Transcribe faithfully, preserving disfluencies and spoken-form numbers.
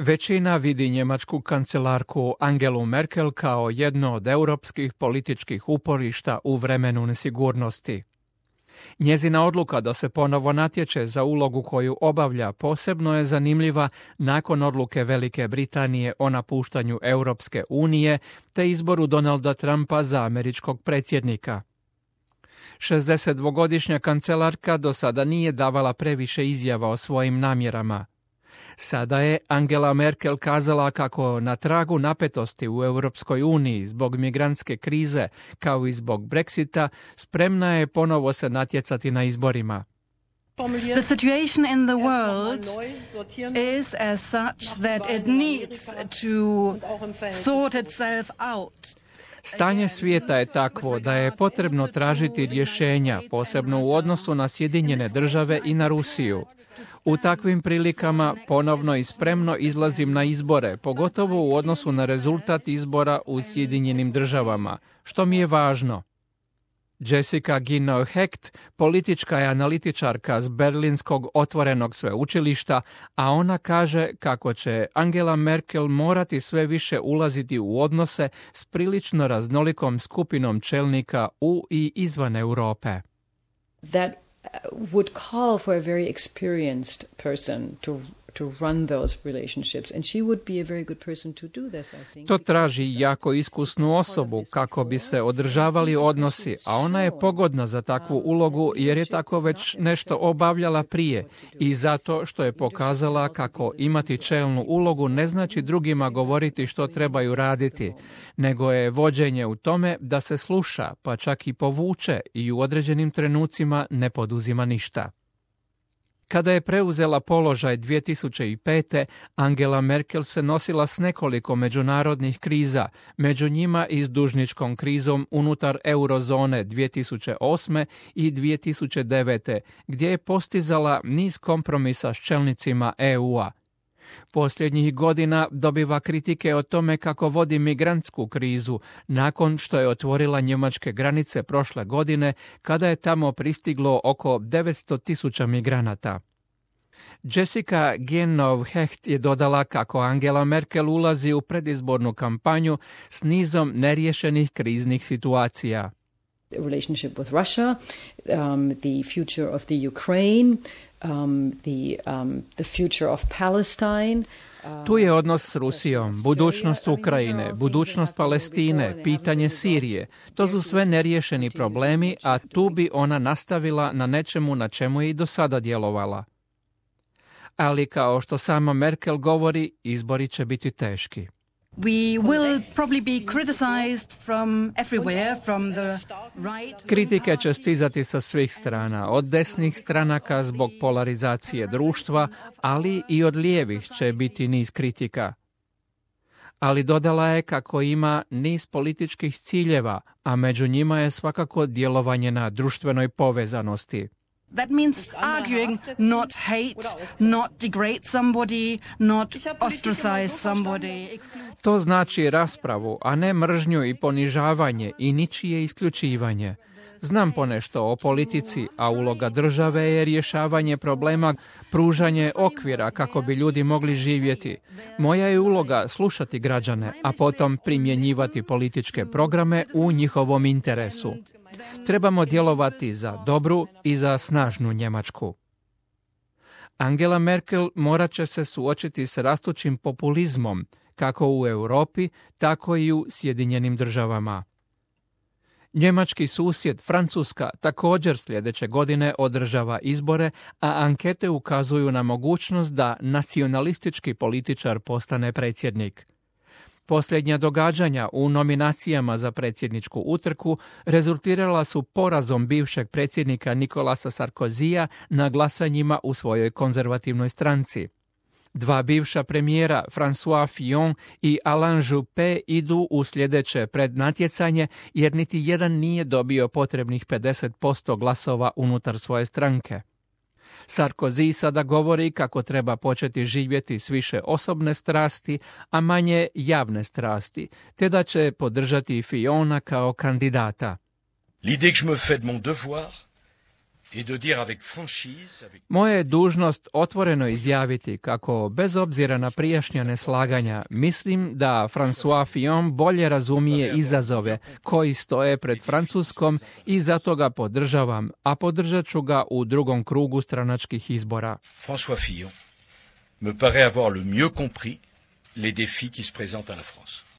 Većina vidi njemačku kancelarku Angelu Merkel kao jedno od europskih političkih uporišta u vremenu nesigurnosti. Njezina odluka da se ponovo natječe za ulogu koju obavlja posebno je zanimljiva nakon odluke Velike Britanije o napuštanju Europske unije te izboru Donalda Trumpa za američkog predsjednika. šezdesetdvogodišnja kancelarka do sada nije davala previše izjava o svojim namjerama. Sada je Angela Merkel kazala kako na tragu napetosti u Europskoj uniji zbog migrantske krize kao i zbog Brexita spremna je ponovo se natjecati na izborima. The situation in the world is as such that it needs to sort itself out. Stanje svijeta je takvo da je potrebno tražiti rješenja, posebno u odnosu na Sjedinjene države i na Rusiju. U takvim prilikama ponovno i spremno izlazim na izbore, pogotovo u odnosu na rezultat izbora u Sjedinjenim državama, što mi je važno. Jessica Ginnow-Hecht, politička je analitičarka s Berlinskog otvorenog sveučilišta, a ona kaže kako će Angela Merkel morati sve više ulaziti u odnose s prilično raznolikom skupinom čelnika u i izvan Europe. That would call for a very experienced person to to run those relationships, and she would be a very good person to do this, I think. To traži jako iskusnu osobu kako bi se održavali odnosi, a ona je pogodna za takvu ulogu jer je tako već nešto obavljala prije i zato što je pokazala kako imati čelnu ulogu ne znači drugima govoriti što trebaju raditi, nego je vođenje u tome da se sluša, pa čak i povuče i u određenim trenucima ne poduzima ništa. Kada je preuzela položaj dvije tisuće pete. Angela Merkel se nosila s nekoliko međunarodnih kriza, među njima i s dužničkom krizom unutar eurozone dvije tisuće osme. i dvije tisuće devete. gdje je postizala niz kompromisa s čelnicima E U-a. Posljednjih godina dobiva kritike o tome kako vodi migrantsku krizu nakon što je otvorila njemačke granice prošle godine kada je tamo pristiglo oko devetsto tisuća migranata. Jessica Ginnow-Hecht je dodala kako Angela Merkel ulazi u predizbornu kampanju s nizom neriješenih kriznih situacija. The relationship with Russia, um, the future of the Ukraine, um, the, um, the future of Palestine. Tu je odnos s Rusijom, budućnost Ukrajine, budućnost Palestine, pitanje Sirije. To su sve neriješeni problemi, a tu bi ona nastavila na nečemu na čemu je i do sada djelovala. Ali kao što sama Merkel govori, izbori će biti teški. We will probably be criticized from everywhere, from the right. Kritike će stizati sa svih strana, od desnih stranaka zbog polarizacije društva, ali i od lijevih će biti niz kritika. Ali dodala je kako ima niz političkih ciljeva, a među njima je svakako djelovanje na društvenoj povezanosti. That means arguing, not hate, not degrade somebody, not ostracize somebody. To znači raspravu, a ne mržnju i ponižavanje i ničije isključivanje. Znam ponešto o politici, a uloga države je rješavanje problema, pružanje okvira kako bi ljudi mogli živjeti. Moja je uloga slušati građane, a potom primjenjivati političke programe u njihovom interesu. Trebamo djelovati za dobru i za snažnu Njemačku. Angela Merkel morat će se suočiti s rastućim populizmom, kako u Europi, tako i u Sjedinjenim državama. Njemački susjed Francuska također sljedeće godine održava izbore, a ankete ukazuju na mogućnost da nacionalistički političar postane predsjednik. Posljednja događanja u nominacijama za predsjedničku utrku rezultirala su porazom bivšeg predsjednika Nicolasa Sarkozija na glasanjima u svojoj konzervativnoj stranci. Dva bivša premijera, François Fillon i Alain Juppé, idu u sljedeće prednatjecanje jer niti jedan nije dobio potrebnih pedeset posto glasova unutar svoje stranke. Sarkozy sada govori kako treba početi živjeti s više osobne strasti, a manje javne strasti, te da će podržati Fillona kao kandidata. L'idée que je me fais de mon devoir Moja je dužnost otvoreno izjaviti kako, bez obzira na prijašnja neslaganja, mislim da François Fillon bolje razumije izazove koji stoje pred Francuskom i zato ga podržavam, a podržat ću ga u drugom krugu stranačkih izbora. François Fillon me paraît avoir le mieux compris les défis qui se présentent à la France.